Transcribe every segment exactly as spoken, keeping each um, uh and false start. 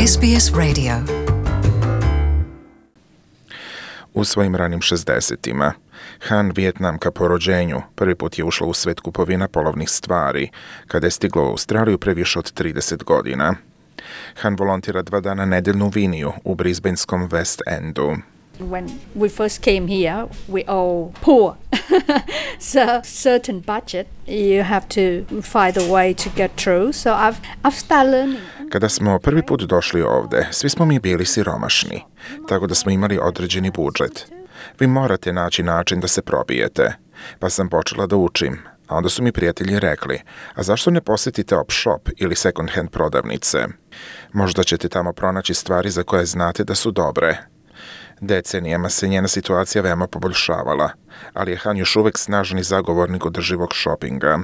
S B S Radio. U svojim ranim šezdesetima, Han, Vijetnamka po rođenju, prvi put je ušla u svet kupovina polovnih stvari, kada je stigla u Australiju pre više od trideset godina. Han volontira dva dana nedeljno u Viniju, u Brisbaneskom West Endu. When we first came here, we all poor. So certain budget, you have to find a way to get through. So I've, I've started learning. Kada smo prvi put došli ovde, svi smo mi bili siromašni, tako da smo imali određeni budžet. Vi morate naći način da se probijete. Pa sam počela da učim, a onda su mi prijatelji rekli, a zašto ne posjetite op shop ili second hand prodavnice? Možda ćete tamo pronaći stvari za koje znate da su dobre. Decenijama se njena situacija veoma poboljšavala, ali je Han još uvek snažni zagovornik održivog šopinga.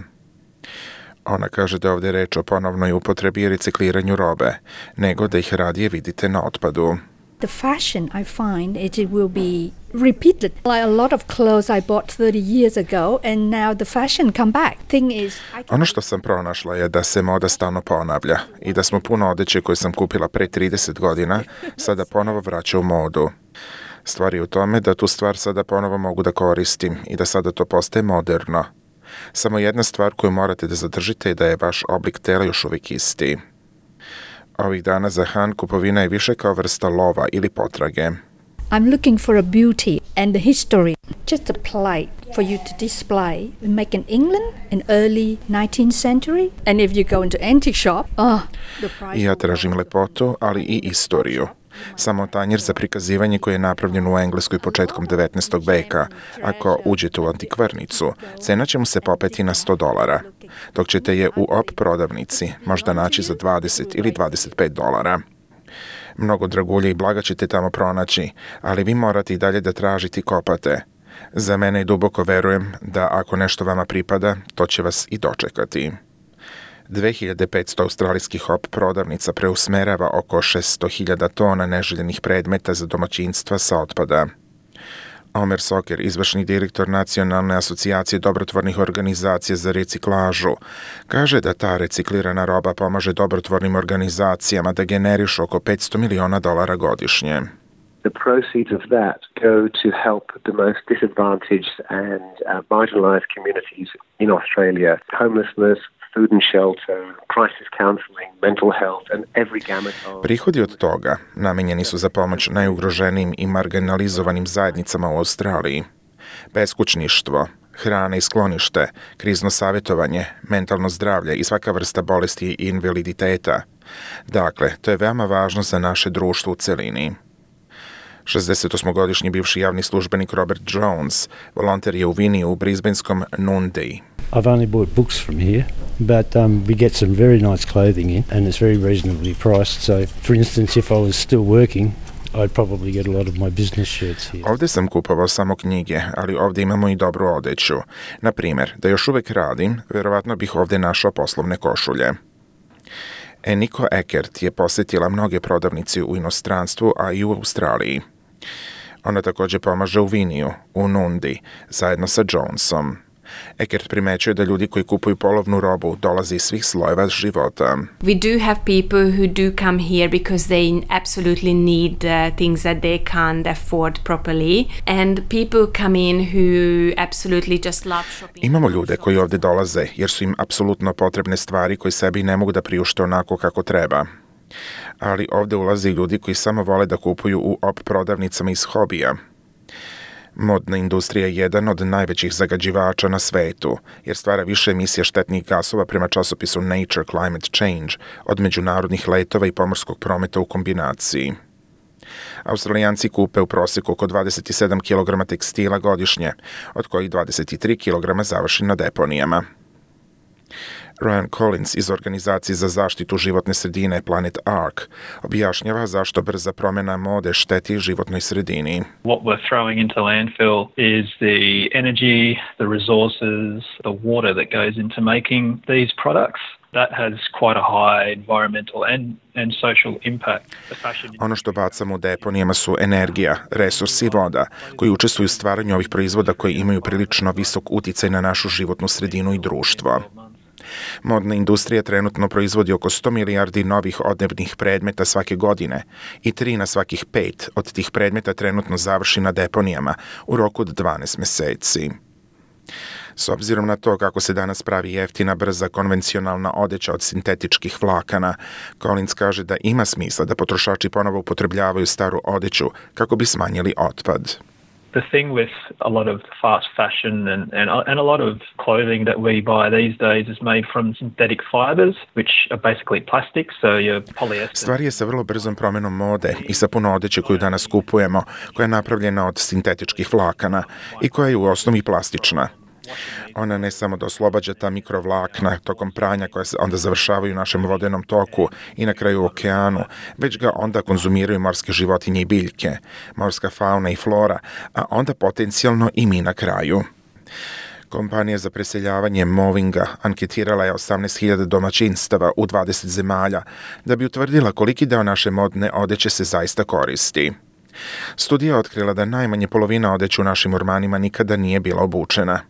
Ona kaže da je ovdje reč o ponovnoj upotrebi i recikliranju robe, nego da ih radije vidite na otpadu. The fashion I find it, it will be repeated. Like a lot of clothes I bought thirty years ago and now the fashion come back. Thing is, I Ono što sam pronašla je da se moda stalno ponavlja i da smo puno odeće koje sam kupila pre trideset godina sada ponovo vraća u modu. Stvar je u tome da tu stvar sada ponovo mogu da koristim i da sada to postaje moderno. Samo jedna stvar koju morate da zadržite je da je vaš oblik tela još uvijek isti. Ovih dana za Han kupovina je više kao vrsta lova ili potrage. I'm looking for a beauty and the history. Just a plate for you to display. Make in England in early nineteenth century. And if you go into antique shop, oh, the price. I ja tražim lepotu, ali i istoriju. Samo tanjir za prikazivanje koji je napravljen u Engleskoj početkom devetnaestog veka. Ako uđete u antikvarnicu, cena će mu se popeti na sto dolara, dok ćete je u op prodavnici možda naći za dvadeset ili dvadeset pet dolara. Mnogo dragulje i blaga ćete tamo pronaći, ali vi morate i dalje da tražite i kopate. Za mene i duboko verujem da ako nešto vama pripada, to će vas i dočekati. dve hiljade petsto australijskih op prodavnica preusmerava oko šesto hiljada tona neželjenih predmeta za domaćinstva sa otpada. Omer Soker, izvršni direktor Nacionalne asocijacije dobrotvornih organizacija za reciklažu, kaže da ta reciklirana roba pomaže dobrotvornim organizacijama da generišu oko petsto miliona dolara godišnje. The proceeds of that go to help the most disadvantaged and uh, marginalized communities in Australia. Homelessness, food and shelter, crisis counseling, mental health and every gamut of... Prihodi od toga namenjeni su za pomoć najugroženijim i marginalizovanim zajednicama u Australiji. Beskućništvo, hrana i sklonište, krizno savjetovanje, mentalno zdravlje i svaka vrsta bolesti i invaliditeta. Dakle, to je veoma važno za naše društvo u celini. šezdesetosmogodišnji bivši javni službenik Robert Jones volonter je u Viniju u Brisbaneskom Nundeji. I've only bought books from here, but um, we get some very nice clothing in and it's very reasonably priced. So, for instance, if I was still working, I'd probably get a lot of my business shirts here. Ovdje sam kupovao samo knjige, ali ovdje imamo i dobru odeću. Na primjer, da još uvijek radim, vjerovatno bih ovdje našao poslovne košulje. Eniko Eckert je posjetila mnoge prodavnice u inostranstvu, a i u Australiji. Ona također pomaže u Viniju, u Nundi, zajedno sa Jonesom. Eckert primećuje da ljudi koji kupuju polovnu robu dolaze iz svih slojeva života. We do have people who do come here because they absolutely need uh, things that they can't afford properly, and people come in who absolutely just love shopping. Imamo ljude koji ovdje dolaze jer su im apsolutno potrebne stvari koje sebi ne mogu da priušte onako kako treba. Ali ovdje ulaze i ljudi koji samo vole da kupuju u op prodavnicama iz hobija. Modna industrija je jedan od najvećih zagađivača na svetu, jer stvara više emisija štetnih gasova prema časopisu Nature Climate Change od međunarodnih letova i pomorskog prometa u kombinaciji. Australijanci kupe u prosjeku oko dvadeset sedam kilograma tekstila godišnje, od kojih dvadeset tri kilograma završi na deponijama. Ryan Collins iz organizacije za zaštitu životne sredine Planet Ark objašnjava zašto brza promjena mode šteti životnoj sredini. What we're throwing into landfill is the energy, the resources, the water that goes into making these products. That has quite a high environmental and, and social impact. Ono što bacamo u deponijama su energija, resursi i voda, koji učestvuju u stvaranju ovih proizvoda koji imaju prilično visok uticaj na našu životnu sredinu i društvo. Modna industrija trenutno proizvodi oko sto milijardi novih odevnih predmeta svake godine i tri na svakih pet od tih predmeta trenutno završi na deponijama u roku od dvanaest meseci. S obzirom na to kako se danas pravi jeftina, brza, konvencionalna odeća od sintetičkih vlakana, Collins kaže da ima smisla da potrošači ponovo upotrebljavaju staru odeću kako bi smanjili otpad. The thing with a lot of fast fashion and, and, and a lot of clothing that we buy these days is made from synthetic fibers, which are basically plastic, so your polyester. Stvar je sa vrlo brzom promenom mode i sa puno odeće koju danas kupujemo, koja je napravljena od sintetičkih vlakana i koja je u osnovi plastična. Ona ne samo da oslobađa ta mikrovlakna tokom pranja koja se onda završavaju u našem vodenom toku i na kraju u okeanu, već ga onda konzumiraju morske životinje i biljke, morska fauna i flora, a onda potencijalno i mi na kraju. Kompanija za preseljavanje Movinga anketirala je osamnaest hiljada domaćinstava u dvadeset zemalja da bi utvrdila koliki deo naše modne odeće se zaista koristi. Studija je otkrila da najmanje polovina odeće u našim ormanima nikada nije bila obučena.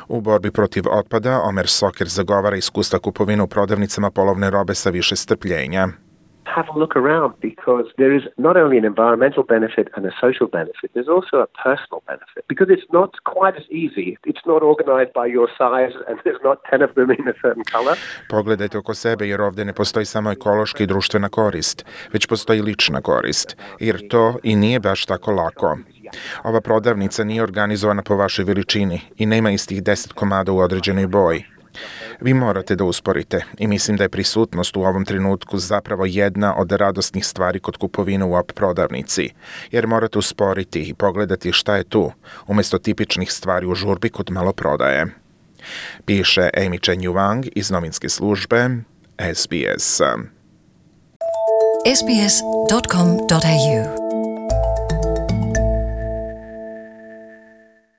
U borbi protiv otpada, Omer Soker zagovara iskustva kupovine u prodavnicama polovne robe sa više strpljenja. Have a look around because there is not only an environmental benefit and a social benefit, there's also a personal benefit because it's not quite as easy. It's not organized by your size and there's not ten of them in a certain color. Pogledajte oko sebe jer ovdje ne postoji samo ekološka i društvena korist, već postoji lična korist, jer to i nije baš tako lako. Ova prodavnica nije organizovana po vašoj veličini i nema istih deset komada u određenoj boji. Vi morate da usporite i mislim da je prisutnost u ovom trenutku zapravo jedna od radosnih stvari kod kupovine u op prodavnici, jer morate usporiti i pogledati šta je tu, umjesto tipičnih stvari u žurbi kod maloprodaje. Piše Amy Chen Yuang iz novinske službe S B S. S B S dot com dot A U